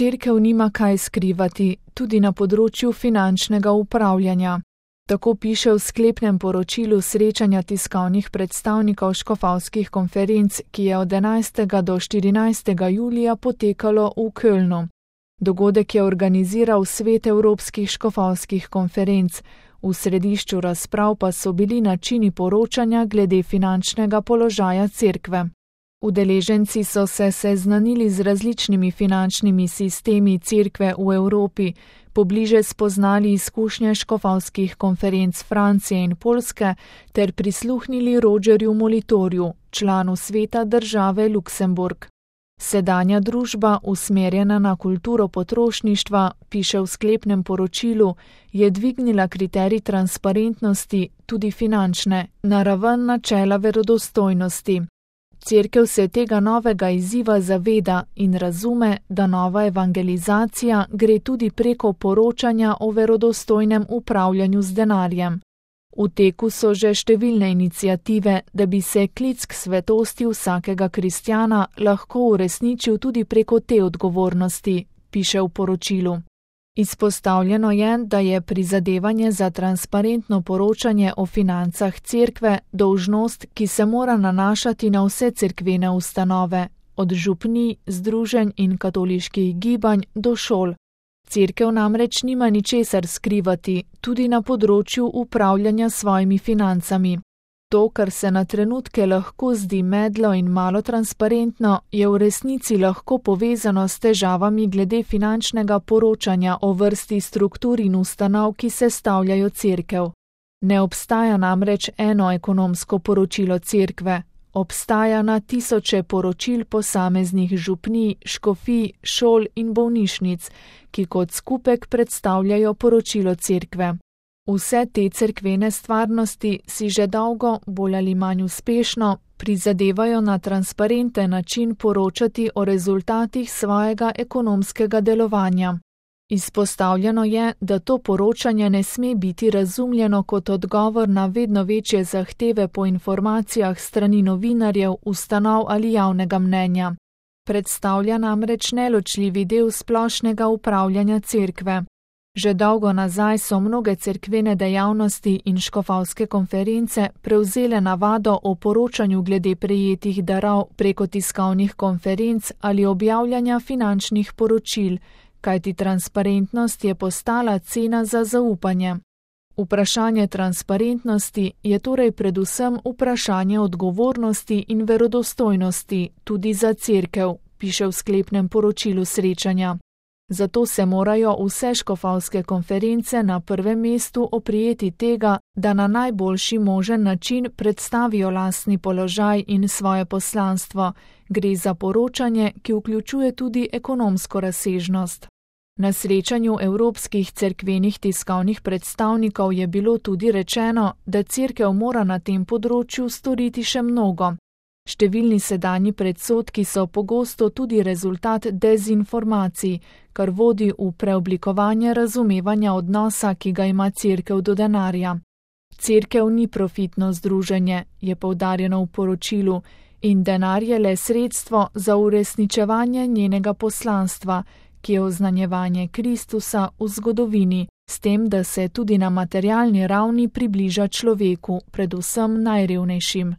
Cerkev nima kaj skrivati, tudi na področju finančnega upravljanja. Tako piše v sklepnem poročilu srečanja tiskovnih predstavnikov škofovskih konferenc, ki je od 11. do 14. julija potekalo v Kölnu. Dogodek je organiziral Svet evropskih škofovskih konferenc, v središču razprav pa so bili načini poročanja glede finančnega položaja cerkve. Udeleženci so se seznanili z različnimi finančnimi sistemi cerkve v Evropi, pobliže spoznali izkušnje škofovskih konferenc Francije in Poljske ter prisluhnili Rogerju Molitorju, članu sveta države Luksemburg. Sedanja družba, usmerjena na kulturo potrošništva, piše v sklepnem poročilu, je dvignila kriterij transparentnosti, tudi finančne, na raven načela verodostojnosti. Cerkev se tega novega izziva zaveda in razume, da nova evangelizacija gre tudi preko poročanja o verodostojnem upravljanju z denarjem. V teku so že številne iniciative, da bi se klic k svetosti vsakega kristjana lahko uresničil tudi preko te odgovornosti, piše v poročilu. Izpostavljeno je, da je prizadevanje za transparentno poročanje o financah cerkve dolžnost, ki se mora nanašati na vse cerkvene ustanove, od župnij, združenj in katoliških gibanj do šol. Cerkev namreč nima ničesar skrivati, tudi na področju upravljanja svojimi financami. To, kar se na trenutke lahko zdi medlo in malo transparentno, je v resnici lahko povezano s težavami glede finančnega poročanja o vrsti struktur in ustanov, ki sestavljajo cerkev. Ne obstaja namreč eno ekonomsko poročilo cerkve. Obstaja na tisoče poročil posameznih župnij, škofij, šol in bolnišnic, ki kot skupek predstavljajo poročilo cerkve. Vse te cerkvene stvarnosti si že dolgo, bolj ali manj uspešno, prizadevajo na transparenten način poročati o rezultatih svojega ekonomskega delovanja. Izpostavljeno je, da to poročanje ne sme biti razumljeno kot odgovor na vedno večje zahteve po informacijah strani novinarjev, ustanov ali javnega mnenja. Predstavlja namreč neločljivi del splošnega upravljanja cerkve. Že dolgo nazaj so mnoge cerkvene dejavnosti in škofovske konference prevzele navado o poročanju glede prejetih darov preko tiskovnih konferenc ali objavljanja finančnih poročil, kajti transparentnost je postala cena za zaupanje. Vprašanje transparentnosti je torej predvsem vprašanje odgovornosti in verodostojnosti tudi za cerkev, piše v sklepnem poročilu srečanja. Zato se morajo vse škofovske konference na prvem mestu oprijeti tega, da na najboljši možen način predstavijo lastni položaj in svoje poslanstvo. Gre za poročanje, ki vključuje tudi ekonomsko razsežnost. Na srečanju evropskih cerkvenih tiskovnih predstavnikov je bilo tudi rečeno, da cerkev mora na tem področju storiti še mnogo. Številni sedanji predsodki so pogosto tudi rezultat dezinformacij, kar vodi v preoblikovanje razumevanja odnosa, ki ga ima cerkev do denarja. Cerkev ni profitno združenje, je poudarjeno v poročilu, in denar je le sredstvo za uresničevanje njenega poslanstva, ki je oznanjevanje Kristusa v zgodovini, s tem, da se tudi na materialni ravni približa človeku, predvsem najrevnejšim.